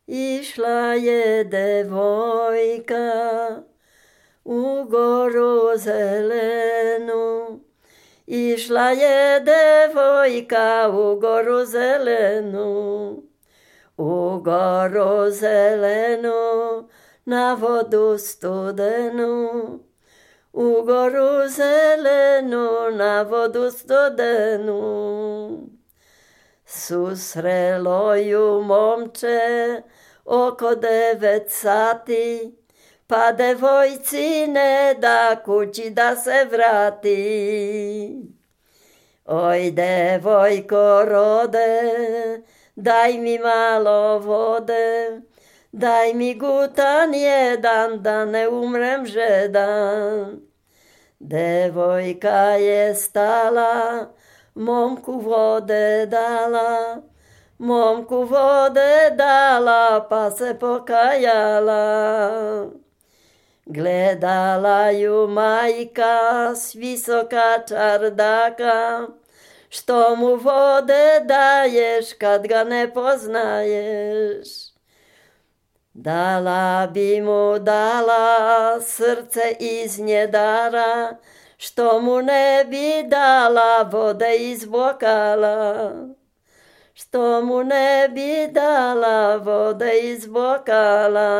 Išla je devojka u goru zelenu. Išla je devojka u goru zelenu. U goru zelenu, na vodu studenu. U goru zelenu, na vodu studenu. Susrelo ju momče oko 9 sati, pa devojci ne da kući da se vrati. Oj, devojko rode, daj mi malo vode, daj mi gutan jedan da ne umrem žedan. Devojka je stala, momku vode dala, momku vode dala, pa se pokajala. Gledala ju majka s visoka čardaka, što mu vode daješ kad ga ne poznaješ. Dala bi mu dala srce iz njedara, što mu ne bi dala vode iz bokala. Što mu ne bi dala vode iz bokala.